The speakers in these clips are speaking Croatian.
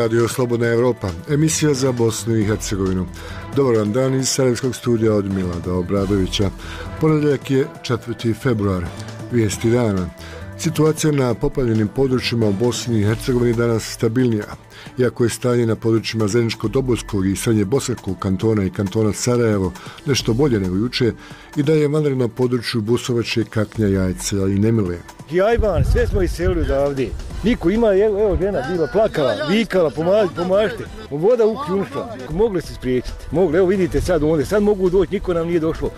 Radio Slobodna Evropa, emisija za Bosnu i Hercegovinu. Dobar vam dan iz Sarajevskog studija od Milada Obradovića. Ponedjeljak je 4. februar. Vijesti dana. Situacija na poplavljenim područjima u Bosni i Hercegovini danas stabilnija. Iako je stanje na područjima Zeničko-Dobojskog i Srednje Bosanskog kantona i kantona Sarajevo nešto bolje nego juče, i da je vanredno na području Busovače, Kaknja, Jajca i Nemile. Jajban, sve smo iselili odavde. Niko ima, evo žena bila plakala, vikala, pomažite. Voda uključila, mogli se spriječiti. Mogli, evo vidite sad ovdje, sad mogu doći, niko nam nije došlo.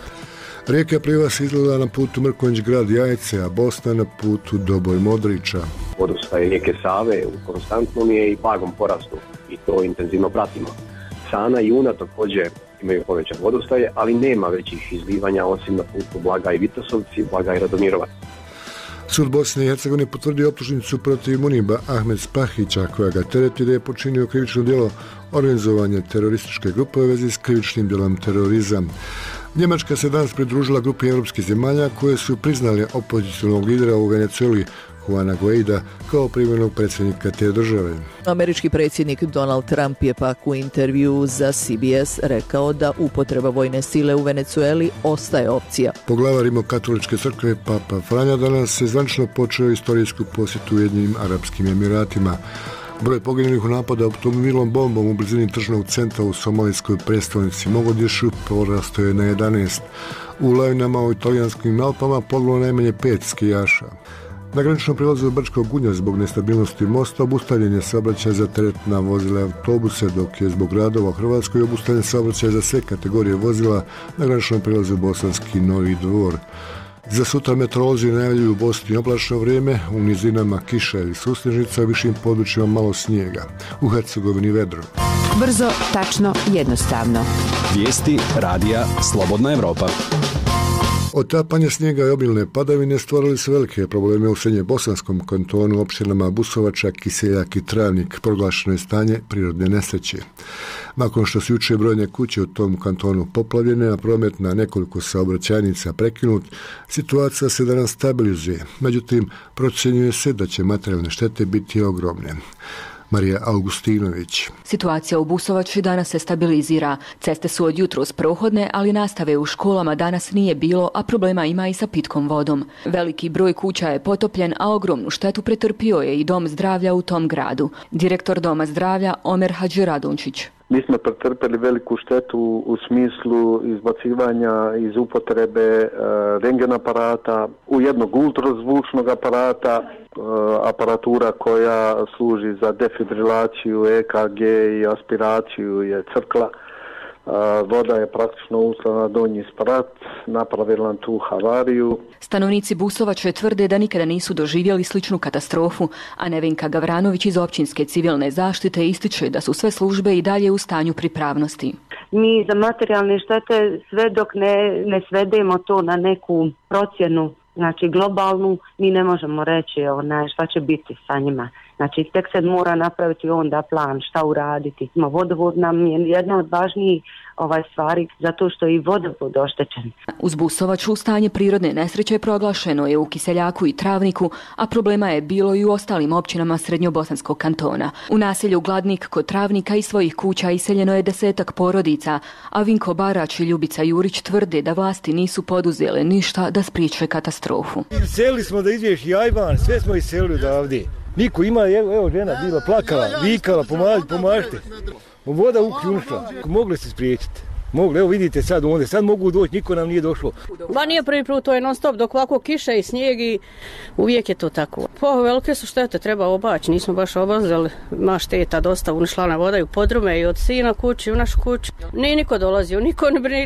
Rijeka Pliva se izgleda na putu Mrkonjić grad Jajce, a Bosna na putu Doboj Modrića. Vodostaj rijeke Save u konstantnom je i blagom porastu i to intenzivno pratimo. Sana i Una također imaju povećan vodostaje, ali nema većih izlivanja osim na putu Blaga i Vitosovci, Blaga i Radomirovac. Sud Bosne i Hercegovine potvrdio optužnicu protiv Muniba Ahmed Spahića, koja ga tereti da je počinio krivično djelo organizovanja terorističke grupe u vezi s krivičnim djelom terorizam. Njemačka se danas pridružila grupi europskih zemalja koje su priznali opozicionalnog lidera u Venezueli Juana Guaida kao privremenog predsjednika te države. Američki predsjednik Donald Trump je pak u intervju za CBS rekao da upotreba vojne sile u Venezueli ostaje opcija. Poglavar Rimokatoličke crkve Papa Franja danas se zvanično počeo istorijsku posjetu Ujedinjenim Arapskim Emiratima. Broj poginulih u napadu automobilom bombom u blizini tržnog centra u somalijskoj prestolnici Mogadišu porastao je na 11. U lavinama u italijanskim Alpama poginulo najmanje 5 skijaša. Na graničnom prilazu Brčkog Gunja zbog nestabilnosti mosta obustavljen je saobraćaj za teretna vozila i autobuse, dok je zbog radova u Hrvatskoj obustavljen saobraćaj za sve kategorije vozila na graničnom prilazu Bosanski Novi Dvor. Za sutra meteorolozi najavljuju u Bosni oblačno vrijeme, u nizinama kiša ili susnežnica, u višim područjima malo snijega. U Hercegovini vedro. Brzo, tačno, jednostavno. Vijesti radija Slobodna Evropa. Otapanje snijega i obilne padavine stvorili su velike probleme u Srednje Bosanskom kantonu, općinama Busovača, Kiseljak i Travnik. Proglašeno je stanje prirodne nesreće. Nakon što su jučer brojne kuće u tom kantonu poplavljene, a promet na nekoliko saobraćajnica prekinut, situacija se danas stabilizuje. Međutim, procjenjuje se da će materijalne štete biti ogromne. Marija Augustinović. Situacija u Busovači danas se stabilizira. Ceste su od jutros prohodne, ali nastave u školama danas nije bilo, a problema ima i sa pitkom vodom. Veliki broj kuća je potopljen, a ogromnu štetu pretrpio je i dom zdravlja u tom gradu. Direktor doma zdravlja Omer Hadžiradunčić. Mi smo pretrpeli veliku štetu u smislu izbacivanja iz upotrebe rentgen aparata, u jednog ultrazvučnog aparata, aparatura koja služi za defibrilaciju, EKG i aspiraciju je crkla. Voda je praktično ušla na donji sprat, napravila tu havariju. Stanovnici Busovače tvrde da nikada nisu doživjeli sličnu katastrofu, a Nevenka Gavranović iz općinske civilne zaštite ističe da su sve službe i dalje u stanju pripravnosti. Mi za materijalne štete sve dok ne svedemo to na neku procjenu, znači globalnu, mi ne možemo reći šta će biti sa njima. Znači tek se mora napraviti onda plan šta uraditi. Vodovod nam je jedna od važnijih stvari zato što je i vodovod oštećen. Uz Busovaču stanje prirodne nesreće proglašeno je u Kiseljaku i Travniku, a problema je bilo i u ostalim općinama Srednjobosanskog kantona. U naselju Gladnik kod Travnika iz svojih kuća iseljeno je 10 porodica, a Vinko Barač i Ljubica Jurić tvrde da vlasti nisu poduzele ništa da spriječe katastrofu. Iselili smo da izvješ Jajban, sve smo iselili odavde. Niko ima, evo žena bila plakala, vikala, pomažite. Voda uključila, mogli se spriječiti. Mogli, evo vidite sad ovdje, sad mogu doći, niko nam nije došlo. Ba nije prvi put, to je non stop, dok ovako kiša i snijeg i uvijek je to tako. Velike su štete, treba obaći, nismo baš obazili, ima šteta dosta, unišla na voda i u podrume i od sina kući, u našu kuću. Nije niko dolazio,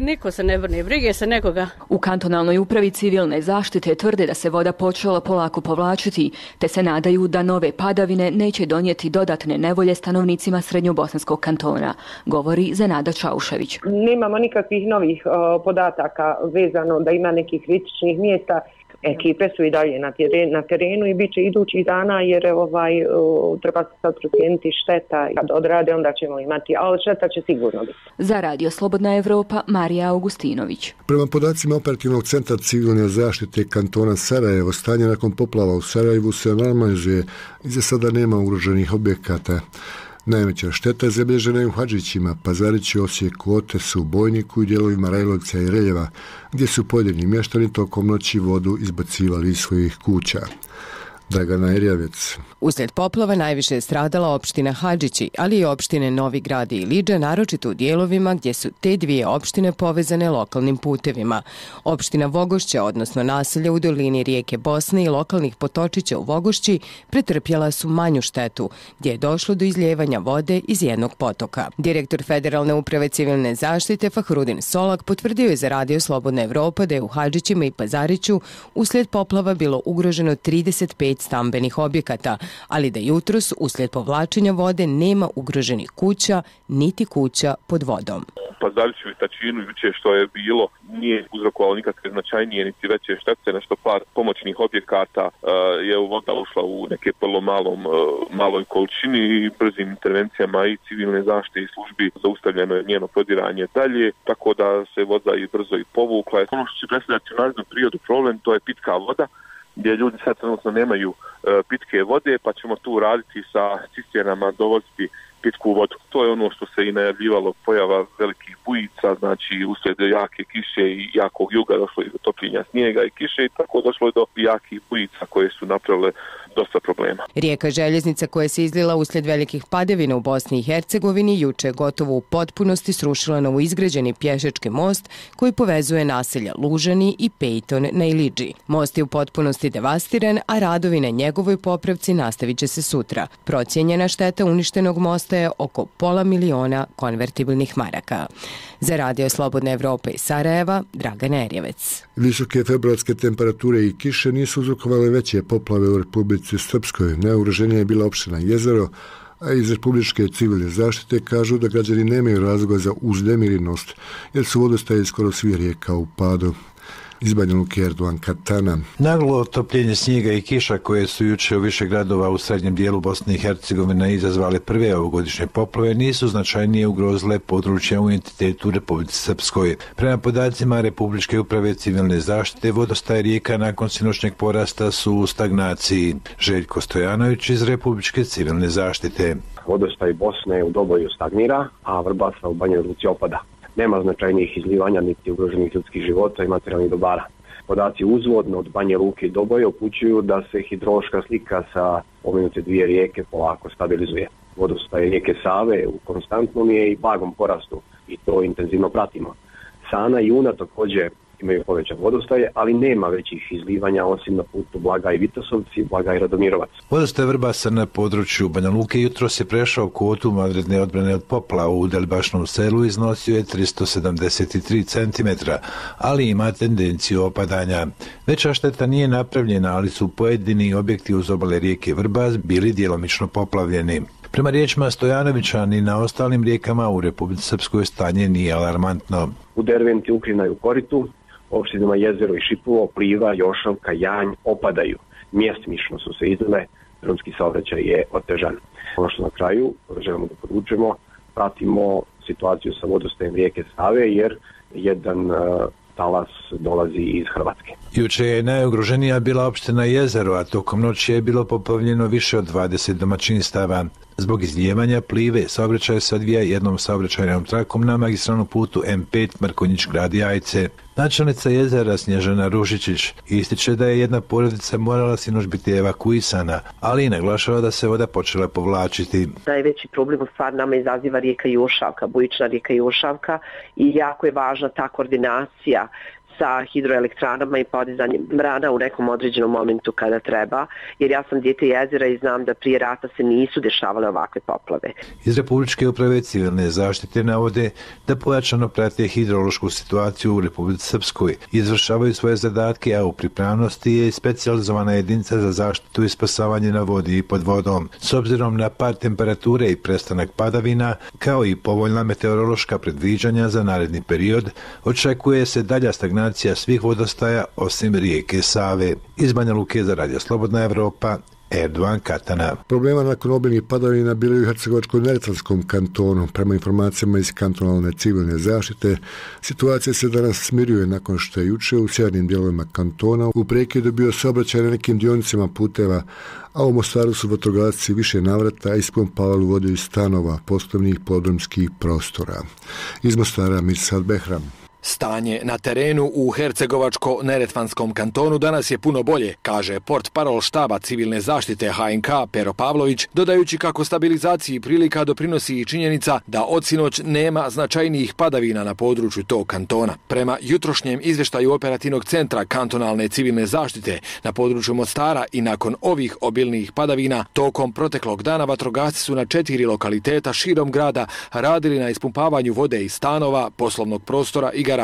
niko se ne brine, brige se nekoga. U kantonalnoj upravi civilne zaštite tvrde da se voda počela polako povlačiti, te se nadaju da nove padavine neće donijeti dodatne nevolje stanovnicima Srednjobosanskog kantona, govori Zenada Čaušević. Nemamo nikakvih novih podataka vezano da ima nekih kritičnih mjesta. Ekipe su i dalje na terenu i bit će idućih dana jer treba se sad procijeniti šteta. Kad odrade onda ćemo imati, ali šteta će sigurno biti. Za Radio Slobodna Evropa, Marija Augustinović. Prema podacima Operativnog centra civilne zaštite kantona Sarajevo, stanje nakon poplava u Sarajevu se normalizuje i za sada nema ugroženih objekata. Najveća šteta zabilježena je u Hadžićima, Pazariću, Osijeku, Otesu, Bojniku i dijelovima Rajlovca i Reljeva, gdje su pojedini mještani tokom noći vodu izbacivali iz svojih kuća. Dragana Erjavec. Uslijed poplava najviše je stradala opština Hadžići, ali i opštine Novi Grad i Ilidža, naročito u dijelovima gdje su te dvije opštine povezane lokalnim putevima. Opština Vogošća, odnosno naselja u dolini rijeke Bosne i lokalnih potočića u Vogošći, pretrpjela su manju štetu, gdje je došlo do izljevanja vode iz jednog potoka. Direktor Federalne uprave civilne zaštite Fahrudin Solak potvrdio je za Radio Slobodna Evropa da je u Hadžićima i Pazariću uslijed poplava bilo ugroženo 35 stambenih objekata, ali da jutros uslijed povlačenja vode nema ugroženih kuća, niti kuća pod vodom. Pazariću i Tačinu juče što je bilo nije uzrokovalo nikakve značajnije niti veće štete, nešto par pomoćnih objekata je voda ušla u neke vrlo maloj količini i brzim intervencijama i civilne zaštite i službi zaustavljeno je njeno prodiranje dalje, tako da se voda i brzo i povukla. Ono što će predstavljati u narednom periodu problem, to je pitka voda, gdje ljudi sad trenutno nemaju pitke vode, pa ćemo tu raditi sa cisternama, dovoziti pitku vodu. To je ono što se i najavljivalo, pojava velikih bujica, znači uslijed jake kiše i jakog juga došlo je do topljenja snijega i kiše i tako došlo je do jakih bujica koje su napravile dosta problema. Rijeka Željeznica koja se izlila uslijed velikih padavina u Bosni i Hercegovini juče je gotovo u potpunosti srušila novoizgrađeni pješački most koji povezuje naselja Lužani i Pejton na Ilidži. Most je u potpunosti devastiran, a radovi na njegovoj popravci nastavit će se sutra. Procijenjena šteta uništenog mosta je oko $500.000 konvertibilnih maraka. Za Radio Slobodna Evropa iz Sarajeva, Dragana Erjavec. Visoke februarske temperature i kiše nisu uzrokovale veće poplave u Republici Srpskoj. Najugroženija je bila opština Jezero, a iz Republičke civilne zaštite kažu da građani nemaju razloga za uznemirinost, jer su vodostaje skoro svi rijeka u padu. Iz Banja Luke, Erdogan Katana. Naglo otopljenje snijega i kiša koje su juče u više gradova u srednjem dijelu Bosne i Hercegovine izazvale prve ovogodišnje poplave nisu značajnije ugrozile područja u entitetu Republici Srpskoj. Prema podacima Republičke uprave civilne zaštite, vodostaje rijeka nakon sinoćnjeg porasta su u stagnaciji. Željko Stojanović iz Republičke civilne zaštite. Vodostaj Bosne u Doboju stagnira, a Vrbasa u Banjoj Luci opada. Nema značajnijih izlivanja niti ugroženih ljudskih života i materijalnih dobara. Podaci uzvodno od Banje Luke i Doboje upućuju da se hidrološka slika sa pomenute dvije rijeke polako stabilizuje. Vodostaj rijeke Save u konstantnom je i blagom porastu i to intenzivno pratimo. Sana i Una također imaju povećan vodostaje, ali nema većih izlivanja osim na putu Blaga i Vitosovci, Blaga i Radomirovac. Vodostaj Vrbasa na području Banja Luke jutros je prešao kvotu vanredne odbrane od poplava u Delibašnom selu, iznosio je 373 cm, ali ima tendenciju opadanja. Veća šteta nije napravljena, ali su pojedini objekti uz obale rijeke Vrbas bili djelomično poplavljeni. Prema riječima Stojanovića, ni na ostalim rijekama u Republici Srpskoj stanje nije alarmantno. U Derventi, Ukrina i u Koritu, opštinama Jezero i Šipovo, Pliva, Jošavka, Janj opadaju. Mjestimično su se izlile, drumski saobraćaj je otežan. Ono što na kraju želimo da podvučemo, pratimo situaciju sa vodostajem rijeke Save jer jedan talas dolazi iz Hrvatske. Juče je najugroženija bila opština Jezero, a tokom noći je bilo poplavljeno više od 20 domaćinstava. Zbog izlijevanja Plive saobraćaj se odvija jednom saobraćajnom trakom na magistralnom putu M5 Mrkonjić grad Jajce. Načelnica Jezera Snježana Ružičić ističe da je jedna porodica morala sinoć biti evakuisana, ali i naglašava da se voda počela povlačiti. Najveći problem u stvari nama izaziva rijeka Jošavka, bujična rijeka Jošavka i jako je važna ta koordinacija sa hidroelektranama i podizanjem brana u nekom određenom momentu kada treba, jer ja sam dijete Jezera i znam da prije rata se nisu dešavale ovakve poplave. Iz Republičke uprave civilne zaštite navode da pojačano prate hidrološku situaciju u Republici Srpskoj, izvršavaju svoje zadatke, a u pripravnosti je specijalizovana jedinica za zaštitu i spasavanje na vodi i pod vodom. S obzirom na pad temperature i prestanak padavina, kao i povoljna meteorološka predviđanja za naredni period, očekuje se dalja stagnacija svih vodostaja osim rijeke Save. Iz Banja Luke za Radio Slobodna Evropa, Erdogan Katana. Problema nakon obilnih padavina bili u Hercegovačko-neretvanskom kantonu. Prema informacijama iz kantonalne civilne zaštite, situacija se danas smiruje nakon što je juče u sjevernim dijelovima kantona u prekidu bio saobraćaj na nekim dionicama puteva, a u Mostaru su vatrogasci više navrata ispumpavali vodu iz stanova, poslovnih podrumskih prostora. Iz Mostara Mirsad Behram. Stanje na terenu u Hercegovačko-neretvanskom kantonu danas je puno bolje, kaže portparol štaba civilne zaštite HNK Pero Pavlović, dodajući kako stabilizaciji prilika doprinosi i činjenica da od sinoć nema značajnijih padavina na području tog kantona. Prema jutrošnjem izvještaju operativnog centra kantonalne civilne zaštite na području Mostara i nakon ovih obilnih padavina, tokom proteklog dana vatrogasci su na 4 lokaliteta širom grada radili na ispumpavanju vode iz stanova, poslovnog prostora i garaže.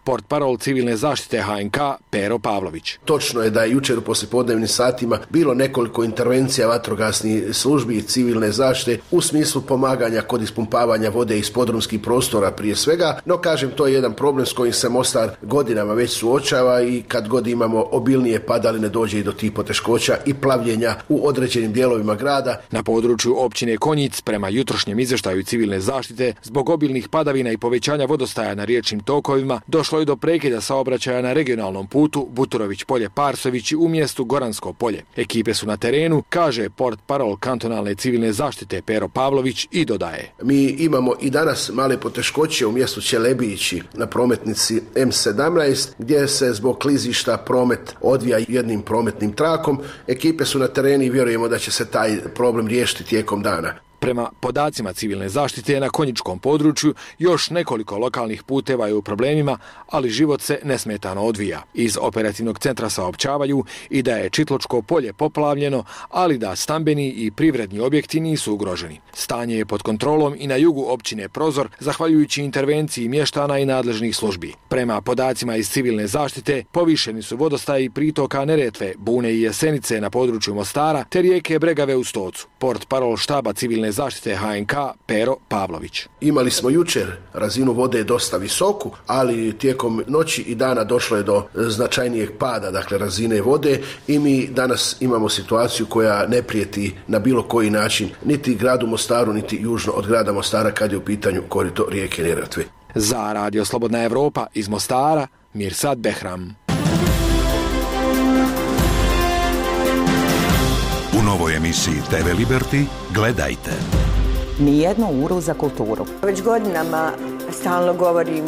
Portparol civilne zaštite HNK Pero Pavlović. Točno je da je jučer u poslijepodnevnim satima bilo nekoliko intervencija vatrogasnih službi i civilne zaštite u smislu pomaganja kod ispumpavanja vode iz podrumskih prostora prije svega, no kažem, to je jedan problem s kojim se Mostar godinama već suočava i kad god imamo obilnije padaline dođe i do tih poteškoća i plavljenja u određenim dijelovima grada. Na području općine Konjic, prema jutrošnjem izvještaju civilne zaštite, zbog obilnih padavina i povećanja vodostaja na riječnim tokovima došlo je do prekida saobraćaja na regionalnom putu Buturović polje-Parsovići u mjestu Goransko polje. Ekipe su na terenu, kaže portparol kantonalne civilne zaštite Pero Pavlović i dodaje. Mi imamo i danas male poteškoće u mjestu Čelebići na prometnici M17 gdje se zbog klizišta promet odvija jednim prometnim trakom. Ekipe su na terenu i vjerujemo da će se taj problem riješiti tijekom dana. Prema podacima civilne zaštite na konjičkom području još nekoliko lokalnih puteva je u problemima, ali život se nesmetano odvija. Iz operativnog centra saopćavaju i da je Čitločko polje poplavljeno, ali da stambeni i privredni objekti nisu ugroženi. Stanje je pod kontrolom i na jugu općine Prozor, zahvaljujući intervenciji mještana i nadležnih službi. Prema podacima iz civilne zaštite, povišeni su vodostaji pritoka Neretve, Bune i Jesenice na području Mostara, te rijeke Bregave u Stocu. Portparol štaba civilne zaštite HNK Pero Pavlović. Imali smo jučer razinu vode dosta visoku, ali tijekom noći i dana došlo je do značajnijeg pada, dakle razine vode, i mi danas imamo situaciju koja ne prijeti na bilo koji način niti gradu Mostaru, niti južno od grada Mostara kad je u pitanju korito rijeke Neretve. Za Radio Slobodna Evropa iz Mostara, Mirsad Behram. U novoj emisiji TV Liberty gledajte. Nijednu uru za kulturu. Već godinama stalno govorim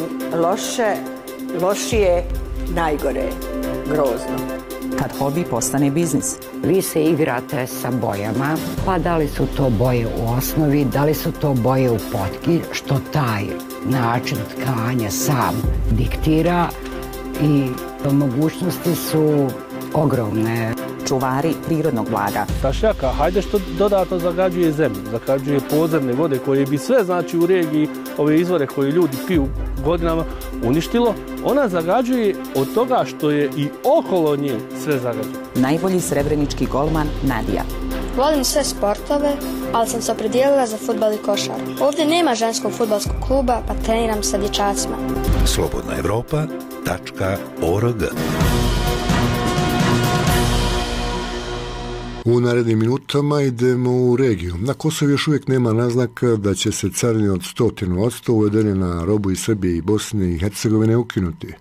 lošije, najgore, grozno. Kad hobi postane biznis. Vi se igrate sa bojama, pa da li su to boje u osnovi, da li su to boje u potki, što taj način tkanja sam diktira, i mogućnosti su ogromne. Čuvari prirodnog blaga. Tašnjaka, hajde što dodatno zagađuje zemlju, zagađuje podzemne vode koje bi sve, znači, u regiji, ove izvore koje ljudi piju godinama, uništilo. Ona zagađuje od toga što je i okolo nje sve zagađuje. Najbolji srebrenički golman Nadija. Volim sve sportove, ali sam se opredijelila za fudbal i košar. Ovdje nema ženskog fudbalskog kluba, pa treniram sa dječacima. slobodnaevropa.org. U narednim minutama idemo u regiju. Na Kosovu još uvijek nema naznaka da će se carine od 100% uvedene na robu iz Srbije i Bosne i Hercegovine ukinuti.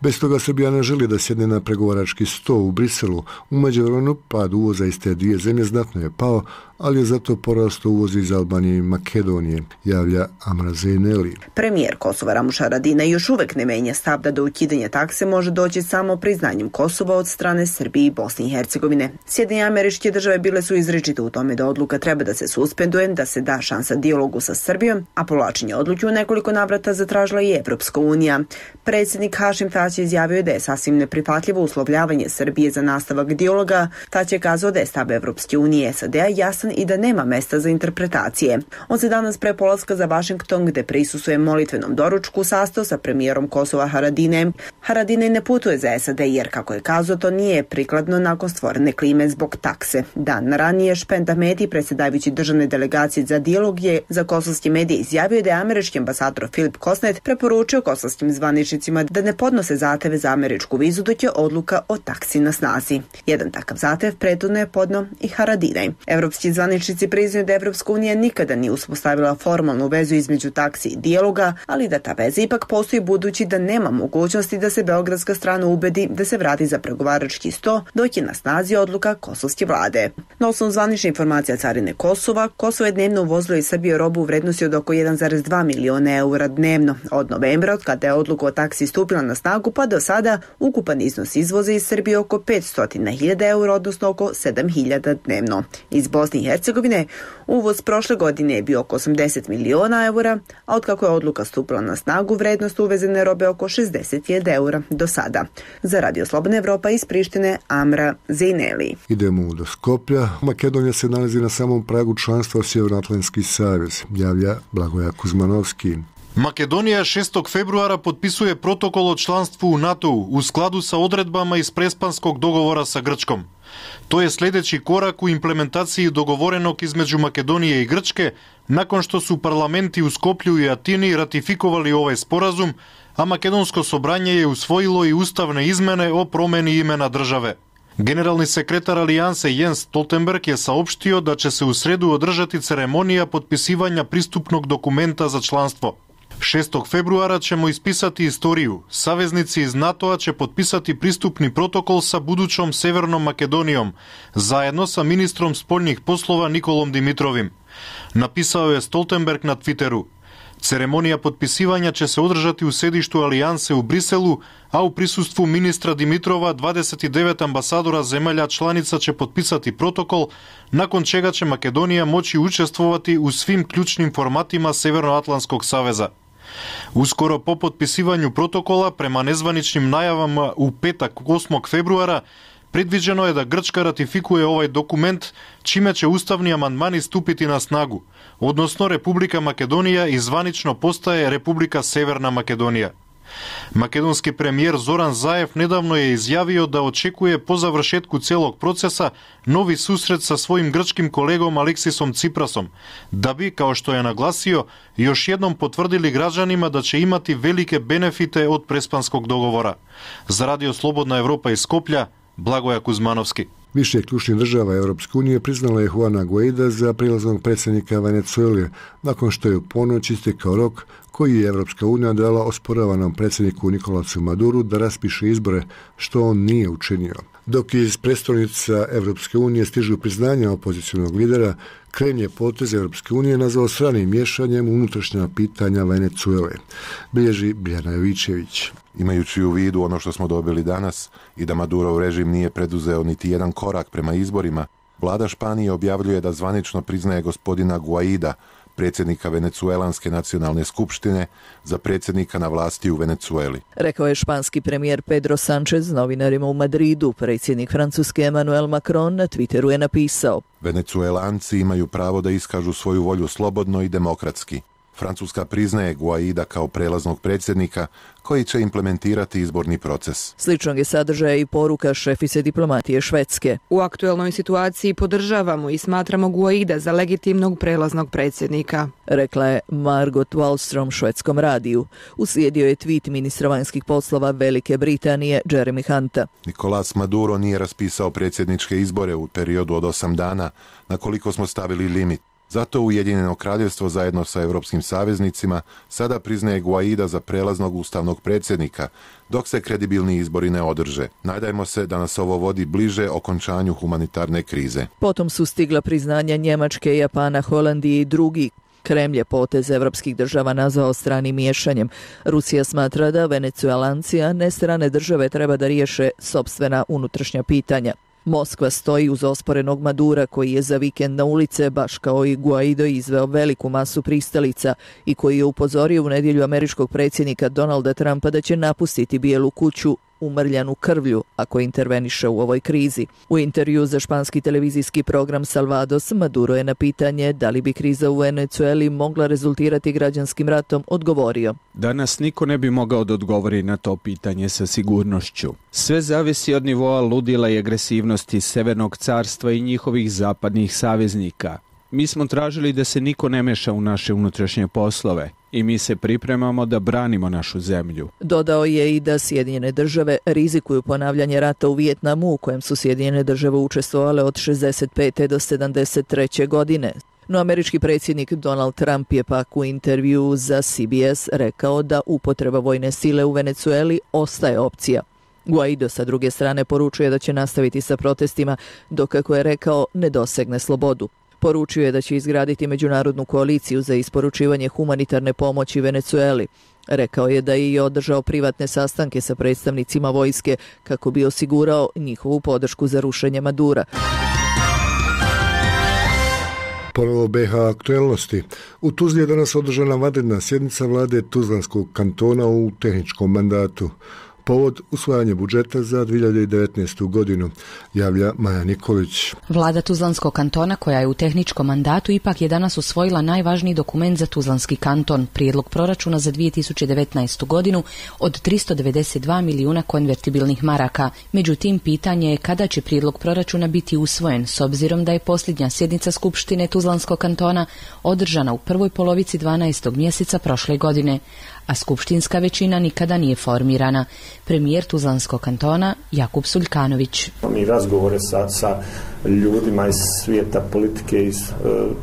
Bez toga Srbija ne želi da sjedne na pregovarački sto u Briselu. U međuvremenu pad uvoza iz te dvije zemlje znatno je pao, ali je zato porastao uvoz iz Albanije i Makedonije, javlja Amra Zeyneli. Premijer Kosova Ramuš Haradinaj još uvijek ne menja stav da do ukidanja takse može doći samo priznanjem Kosova od strane Srbije i Bosne i Hercegovine. Sjedinjene Američke Države bile su izričite u tome da odluka treba da se suspenduje, da se da šansa dijalogu sa Srbijom, a povlačenje odluke u nekoliko navrata zatražila i Evropska unija. Predsjednik Hašim Tači izjavio je da je sasvim neprihvatljivo uslovljavanje Srbije za nastavak dijaloga. Tači je kazao da je stav Evropske unije SAD-a jasan i da nema mesta za interpretacije. On se danas pre polaska za Vašington, gde prisustvuje molitvenom doručku, sastao sa premijerom Kosova Haradinajem. Haradinaj ne putuje za SAD jer, kako je kazao, to nije prikladno nakon stvorene klime zbog takse. Dan ranije Špend Ahmeti, predsjedavajući državne delegacije za dijalog, je za kosovski medij izjavio da je američki ambasador Filip Kosnet preporučio kosovskim zvaničnicima da ne podnose zahteve za američku vizu dok je odluka o taksi na snazi. Jedan takav zahtev prethodno je podnio i Haradinaj. Evropski zvaničnici priznaju da Evropska unija nikada nije uspostavila formalnu vezu između taksi i dijaloga, ali da ta veza ipak postoji budući da nema mogućnosti da se beogradska strana ubedi da se vrati za pregovarački sto dok je na snazi odluka kosovske vlade. Na osnovu zvanične informacija carine Kosova, Kosovo je dnevno uvozilo iz Srbije robu u vrednosti od oko 1,2 miliona eura dnevno. Od novembra, od kada je odluka o taksi stupila na snagu, pa do sada ukupan iznos izvoza iz Srbije oko 500.000 eura, odnosno oko 7.000 dnevno. Iz Bosne i Hercegovine uvoz prošle godine je bio oko 80 miliona eura, a otkako je odluka stupila na snagu, vrednost uvezene robe oko 60.000 eura do sada. Za Radio Slobodna Evropa iz Prištine, Amra Zejneli. Idemo do Skoplja. Makedonija se nalazi na samom pragu članstva u Sjevernoatlantski savez, javlja Blagoja Kuzmanovski. Makedonija 6. februara potpisuje protokol o članstvu u NATO-u u skladu sa odredbama iz Prespanskog dogovora sa Grčkom. To je sljedeći korak u implementaciji dogovorenog između Makedonije i Grčke, nakon što su parlamenti u Skoplju i Atini ratifikovali ovaj sporazum, a Makedonsko sobranje je usvojilo i ustavne izmene o promjeni imena države. Generalni sekretar Alijanse Jens Stoltenberg je saopštio da će se u sredu održati ceremonija potpisivanja pristupnog dokumenta za članstvo. 6. februara ćemo ispisati istoriju. Saveznici iz NATO-a će potpisati pristupni protokol sa budućom Severnom Makedonijom, zajedno sa ministrom spoljnih poslova Nikolom Dimitrovim. Napisao je Stoltenberg na Twitteru. Ceremonija potpisivanja će se održati u sedištu Alijanse u Briselu, a u prisustvu ministra Dimitrova 29 ambasadora zemalja članica će potpisati protokol, nakon čega će Makedonija moći učestvovati u svim ključnim formatima Severnoatlantskog saveza. Uskoro po potpisivanju protokola, prema nezvaničnim najavama u petak 8. februara, predviđeno je da Grčka ratifikuje ovaj dokument, čime će ustavni amandmani stupiti na snagu, odnosno Republika Makedonija i zvanično postaje Republika Severna Makedonija. Makedonski premijer Zoran Zaev nedavno je izjavio da očekuje po završetku cijelog procesa novi susret sa svojim grčkim kolegom Aleksisom Ciprasom, da bi, kao što je naglasio, još jednom potvrdili građanima da će imati velike benefite od Prespanskog dogovora. Za Radio Slobodna Evropa iz Skoplja, Blagoja Kuzmanovski. Više ključnih država Europske unije priznala je Juana Guaida za prilaznog predsjednika Venezuele, nakon što je u ponoć istekao rok koji je Europska unija dala osporavanom predsjedniku Nikolasu Maduru da raspiše izbore, što on nije učinio. Dok iz prestolnica Europske unije stižu priznanja opozicionog lidera, Krem je potez Europske unije nazvao stranim miješanjem unutrašnja pitanja Venezuele. Bilježi Biljana Jovićević. Imajući u vidu ono što smo dobili danas i da Madurov režim nije preduzeo niti jedan korak prema izborima, vlada Španije objavljuje da zvanično priznaje gospodina Guaida, predsjednika Venecuelanske nacionalne skupštine, za predsjednika na vlasti u Venecueli. Rekao je španski premijer Pedro Sánchez novinarima u Madridu. Predsjednik Francuske Emmanuel Macron na Twitteru je napisao: Venecuelanci imaju pravo da iskažu svoju volju slobodno i demokratski. Francuska priznaje Guaida kao prelaznog predsjednika koji će implementirati izborni proces. Sličnog je sadržaja i poruka šefice diplomatije Švedske. U aktuelnoj situaciji podržavamo i smatramo Guaida za legitimnog prelaznog predsjednika, rekla je Margot Wallström švedskom radiju. Uslijedio je tweet ministra vanjskih poslova Velike Britanije Jeremy Hunta. Nicolás Maduro nije raspisao predsjedničke izbore u periodu od 8 dana, na koliko smo stavili limit. Zato Ujedinjeno kraljevstvo zajedno sa europskim saveznicima sada priznaje Guaida za prelaznog ustavnog predsjednika, dok se kredibilni izbori ne održe. Nadajmo se da nas ovo vodi bliže okončanju humanitarne krize. Potom su stigla priznanja Njemačke, Japana, Holandije i drugi. Kremlj je potez evropskih država nazvao stranim miješanjem. Rusija smatra da Venecuelanci, a ne strane države, treba da riješe sopstvena unutrašnja pitanja. Moskva stoji uz osporenog Madura koji je za vikend na ulice, baš kao i Guaido, izveo veliku masu pristalica i koji je upozorio u nedjelju američkog predsjednika Donalda Trumpa da će napustiti Bijelu kuću umrljanu krvlju ako interveniše u ovoj krizi. U intervju za španski televizijski program Salvados, Maduro je na pitanje da li bi kriza u Venezueli mogla rezultirati građanskim ratom odgovorio: Danas niko ne bi mogao da odgovori na to pitanje sa sigurnošću. Sve zavisi od nivoa ludila i agresivnosti Severnog carstva i njihovih zapadnih saveznika. Mi smo tražili da se niko ne meša u naše unutrašnje poslove i mi se pripremamo da branimo našu zemlju. Dodao je i da Sjedinjene države rizikuju ponavljanje rata u Vijetnamu u kojem su Sjedinjene države učestvovale od 65. do 73. godine. No američki predsjednik Donald Trump je pak u intervju za CBS rekao da upotreba vojne sile u Venezueli ostaje opcija. Guaido sa druge strane poručuje da će nastaviti sa protestima dok, kako je rekao, ne dosegne slobodu. Poručio je da će izgraditi međunarodnu koaliciju za isporučivanje humanitarne pomoći Venezueli. Rekao je da je i održao privatne sastanke sa predstavnicima vojske kako bi osigurao njihovu podršku za rušenje Madura. Ponovo BiH aktuelnosti. U Tuzli je danas održana vanredna sjednica vlade Tuzlanskog kantona u tehničkom mandatu. Povod usvajanje budžeta za 2019. godinu, javlja Maja Nikolić. Vlada Tuzlanskog kantona, koja je u tehničkom mandatu, ipak je danas usvojila najvažniji dokument za Tuzlanski kanton, prijedlog proračuna za 2019. godinu od 392 milijuna konvertibilnih maraka. Međutim, pitanje je kada će prijedlog proračuna biti usvojen, s obzirom da je posljednja sjednica Skupštine Tuzlanskog kantona održana u prvoj polovici 12. mjeseca prošle godine, a skupštinska većina nikada nije formirana. Premijer Tuzlanskog kantona Jakub Suljkanović. Mi razgovore sa ljudima iz svijeta politike, iz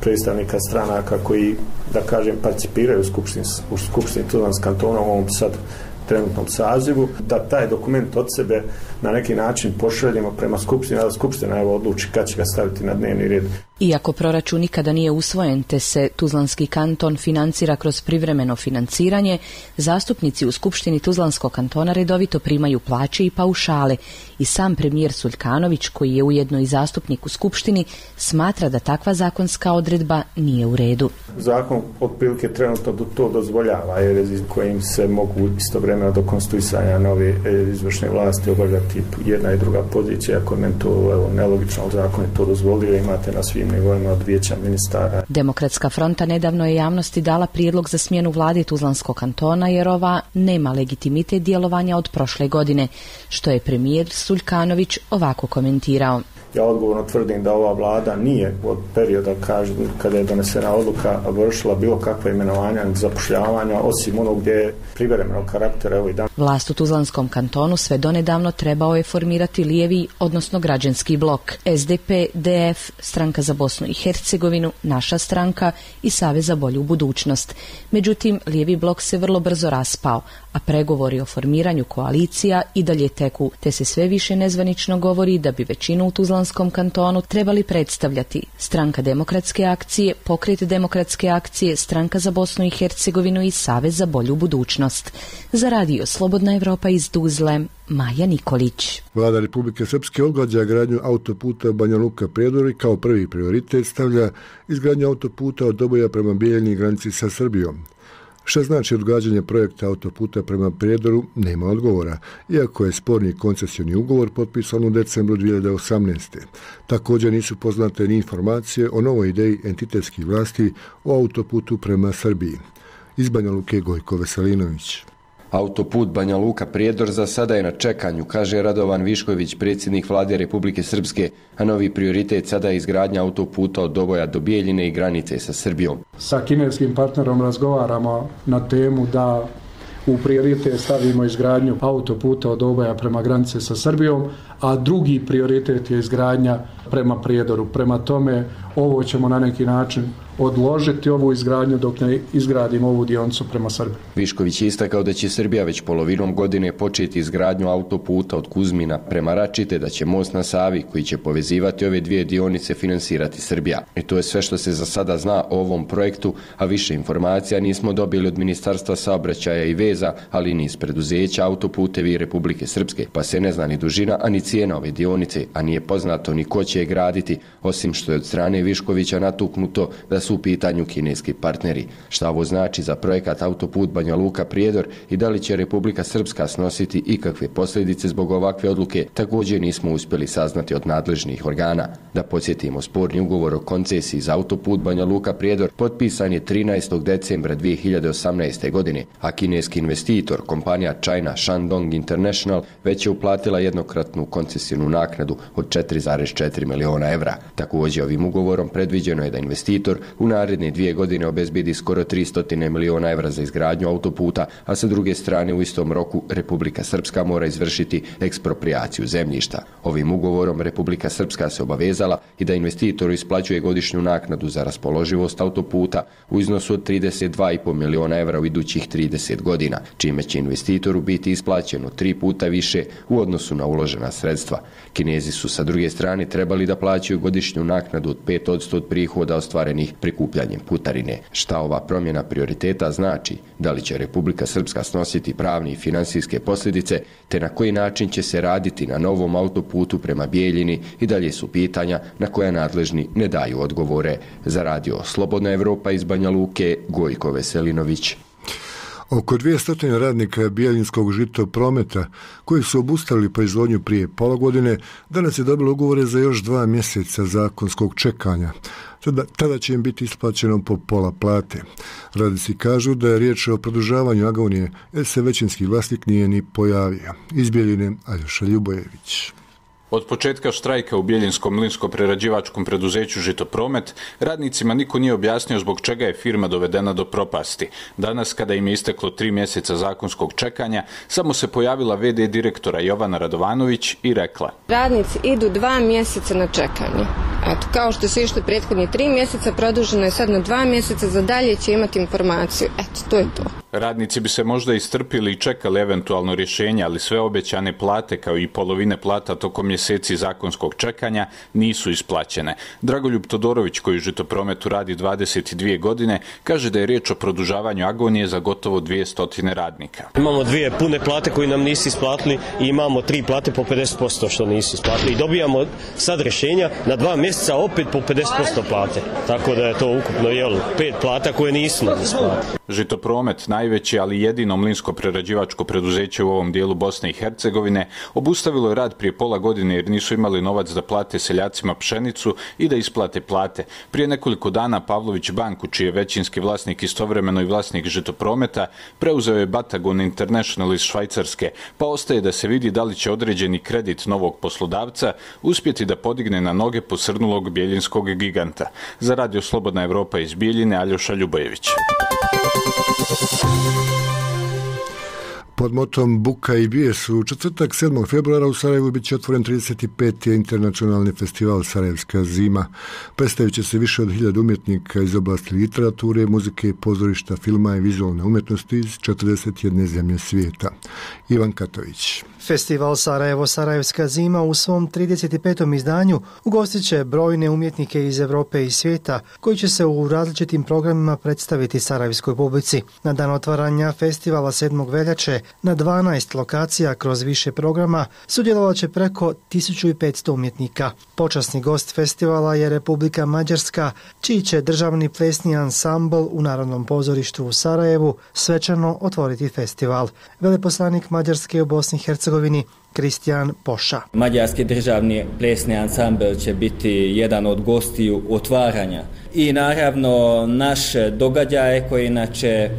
predstavnika stranaka koji, da kažem, participiraju u skupštini Tuzlanskog kantona u ovom sad trenutnom sazivu, da taj dokument od sebe na neki način pošaljemo prema skupštini, a skupština odluči kad će ga staviti na dnevni red. Iako proračun nikada nije usvojen te se Tuzlanski kanton financira kroz privremeno financiranje, zastupnici u Skupštini Tuzlanskog kantona redovito primaju plaće i paušale i sam premijer Suljkanović, koji je ujedno i zastupnik u Skupštini, smatra da takva zakonska odredba nije u redu. Zakon otprilike trenutno to dozvoljava, jer kojim se mogu istovremeno do konstituisanja nove izvršne vlasti obavljati jedna i druga pozicija. Kod meni to nelogično, zakon je to dozvolio, imate na svim nivoima od vijeća ministara. Demokratska fronta nedavno je javnosti dala prijedlog za smjenu vlade Tuzlanskog kantona jer ova nema legitimitet djelovanja od prošle godine, što je premijer Suljkanović ovako komentirao. Ja odgovorno tvrdim da ova vlada nije od perioda kada je donesena odluka vršila bilo kakva imenovanja i zapošljavanja, osim onog gdje je privremenog karaktera. Vlast u Tuzlanskom kantonu sve donedavno trebao je formirati lijevi, odnosno građanski blok. SDP, DF, Stranka za Bosnu i Hercegovinu, Naša stranka i Savez za bolju budućnost. Međutim, lijevi blok se vrlo brzo raspao, a pregovori o formiranju koalicija i dalje teku, te se sve više nezvanično govori da bi većinu u Tuzlanskom kantonu trebali predstavljati Stranka demokratske akcije, Pokret demokratske akcije, Stranka za Bosnu i Hercegovinu i Savez za bolju budućnost. Za radio Slobodna Evropa iz Tuzle, Maja Nikolić. Vlada Republike Srpske odgađa gradnju autoputa Banja Luka-Prijedor i kao prvi prioritet stavlja izgradnju autoputa od Doboja prema Bijeljni granici sa Srbijom. Što znači odgađanje projekta autoputa prema Prijedoru, nema odgovora, iako je sporni koncesioni ugovor potpisan u decembru 2018. Također nisu poznate ni informacije o novoj ideji entitetskih vlasti o autoputu prema Srbiji. Iz Banja Luke Gojko Veselinović. Autoput Banja Luka-Prijedor za sada je na čekanju, kaže Radovan Višković, predsjednik vlade Republike Srpske, a novi prioritet sada je izgradnja autoputa od Doboja do Bijeljine i granice sa Srbijom. Sa kineskim partnerom razgovaramo na temu da u prioritet stavimo izgradnju autoputa od Doboja prema granice sa Srbijom, a drugi prioritet je izgradnja prema Prijedoru. Prema tome, ovo ćemo na neki način odložiti ovu izgradnju dok ne izgradimo ovu dionicu prema Srbiji. Višković je istakao da će Srbija već polovinom godine početi izgradnju autoputa od Kuzmina prema Račite, da će most na Savi koji će povezivati ove dvije dionice finansirati Srbija. I to je sve što se za sada zna o ovom projektu, a više informacija nismo dobili od Ministarstva saobraćaja i veza, ali ni iz preduzeća Autoputevi Republike Srpske, pa se ne zna ni dužina, a ni cijena ove dionice, a nije poznato ni ko će će je graditi, osim što je od strane Viškovića natuknuto da su u pitanju kineski partneri. Šta ovo znači za projekat autoput Banja Luka-Prijedor i da li će Republika Srpska snositi ikakve posljedice zbog ovakve odluke, također nismo uspjeli saznati od nadležnih organa. Da podsjetimo, sporni ugovor o koncesiji za autoput Banja Luka-Prijedor potpisan je 13. decembra 2018. godine, a kineski investitor, kompanija China Shandong International, već je uplatila jednokratnu koncesijnu naknadu od 4,4 miliona evra. Također, ovim ugovorom predviđeno je da investitor u naredne 2 godine obezbedi skoro 300 miliona evra za izgradnju autoputa, a sa druge strane u istom roku Republika Srpska mora izvršiti eksproprijaciju zemljišta. Ovim ugovorom Republika Srpska se obavezala i da investitoru isplaćuje godišnju naknadu za raspoloživost autoputa u iznosu od 32,5 miliona evra u idućih 30 godina, čime će investitoru biti isplaćeno 3 puta više u odnosu na uložena sredstva. Kinezi su sa druge strane trebali da plaćaju godišnju naknadu od 5% od prihoda ostvarenih prikupljanjem putarine. Šta ova promjena prioriteta znači? Da li će Republika Srpska snositi pravne i financijske posljedice, te na koji način će se raditi na novom autoputu prema Bijeljini i dalje su pitanja na koja nadležni ne daju odgovore. Za radio Slobodna Evropa iz Banja Luke, Gojko Veselinović. Oko 200 radnika Bijeljinskog Žitoprometa, koji su obustavili proizvodnju prije pola godine, danas je dobilo ugovore za još 2 mjeseca zakonskog čekanja. Tada će im biti isplaćeno po pola plate. Radnici kažu da je riječ o produžavanju agonije, jer se većinski vlasnik nije ni pojavio. Iz Bijeljine, Aljoša Ljubojević. Od početka štrajka u Bijeljinskom mlinsko-prerađivačkom preduzeću Žitopromet, radnicima niko nije objasnio zbog čega je firma dovedena do propasti. Danas, kada im je isteklo 3 mjeseca zakonskog čekanja, samo se pojavila VD direktora Jovana Radovanović i rekla: radnici idu 2 mjeseca na čekanje. Eto, kao što su išli prethodni 3 mjeseca, produženo je sad na 2 mjeseca, za dalje će imati informaciju. Eto, to je to. Radnici bi se možda istrpili i čekali eventualno rješenje, ali sve obećane plate kao i polovine plata tokom mjeseci zakonskog čekanja nisu isplaćene. Dragoljub Todorović, koji u Žitoprometu radi 22 godine, kaže da je riječ o produžavanju agonije za gotovo 200 radnika. Imamo 2 pune plate koje nam nisu isplatili i imamo 3 plate po 50% što nisu isplatili. I dobijamo sad rješenja na 2 mjeseca opet po 50% plate. Tako da je to ukupno 5 plata koje nisu nam isplatili. Žitopromet, najveći ali jedino mlinsko-prerađivačko preduzeće u ovom dijelu Bosne i Hercegovine, obustavilo je rad prije pola godine jer nisu imali novac da plate seljacima pšenicu i da isplate plate. Prije nekoliko dana Pavlović banku, čiji je većinski vlasnik istovremeno i vlasnik Žitoprometa, preuzeo je Batagon International iz Švajcarske, pa ostaje da se vidi da li će određeni kredit novog poslodavca uspjeti da podigne na noge posrnulog bijeljinskog giganta. Za radio Slobodna Evropa iz Bijeljine, Aljoša Ljubojević. Pod motom Buka i bijes u četvrtak 7. februara u Sarajevu bit će otvoren 35. internacionalni festival Sarajevska zima. Predstavit će se više od 1000 umjetnika iz oblasti literature, muzike, pozorišta, filma i vizualne umjetnosti iz 41 zemlje svijeta. Ivan Katović. Festival Sarajevo Sarajevska zima u svom 35. izdanju ugostit će brojne umjetnike iz Europe i svijeta koji će se u različitim programima predstaviti sarajevskoj publici. Na dan otvaranja festivala 7. veljače na 12 lokacija kroz više programa sudjelovat će preko 1500 umjetnika. Počasni gost festivala je Republika Mađarska, čiji će državni plesni ansambl u Narodnom pozorištu u Sarajevu svečano otvoriti festival. Veleposlanik Mađarske u Bosni i Hercegovini Kristijan Poša. Mađarski državni plesni ansambl će biti jedan od gostiju otvaranja. I naravno naš događaj koji inače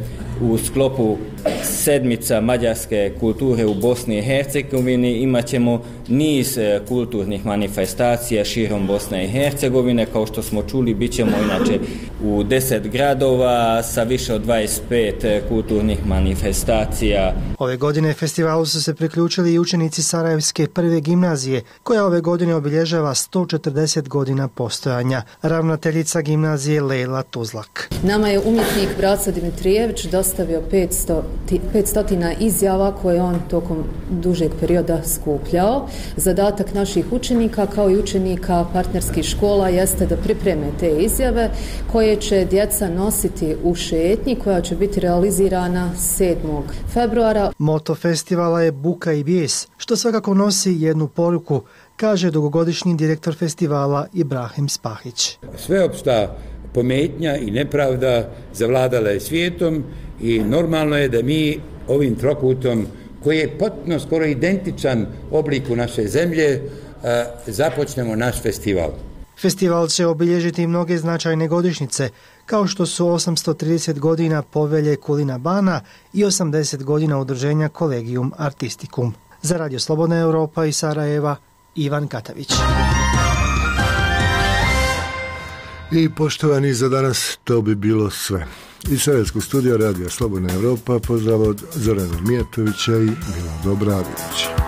u sklopu sedmica mađarske kulture u Bosni i Hercegovini imat ćemo niz kulturnih manifestacija širom Bosne i Hercegovine. Kao što smo čuli, bit ćemo inače u 10 gradova sa više od 25 kulturnih manifestacija. Ove godine festivalu su se priključili i učenici Sarajevske prve gimnazije, koja ove godine obilježava 140 godina postojanja. Ravnateljica gimnazije Lejla Tuzlak. Nama je umjetnik Braco Dimitrijević dostavio 500 izjava koje on tokom dužeg perioda skupljao. Zadatak naših učenika kao i učenika partnerskih škola jeste da pripreme te izjave koje će djeca nositi u šetnji koja će biti realizirana 7. februara. Moto festivala je Buka i bijes, što svakako nosi jednu poruku kaže dugogodišnji direktor festivala Ibrahim Spahić. Sveopšta pometnja i nepravda zavladala je svijetom i normalno je da mi ovim trokutom, koji je potpuno skoro identičan obliku naše zemlje, započnemo naš festival. Festival će obilježiti mnoge značajne godišnjice, kao što su 830 godina povelje Kulina Bana i 80 godina udruženja Collegium Artisticum. Za Radio Slobodna Europa iz Sarajeva, Ivan Katavić. I poštovani, za danas to bi bilo sve. Iz Sarajevskog studija Radio Slobodna Europa pozdrav od Zorana Mijatovića i Milan Dobradovića.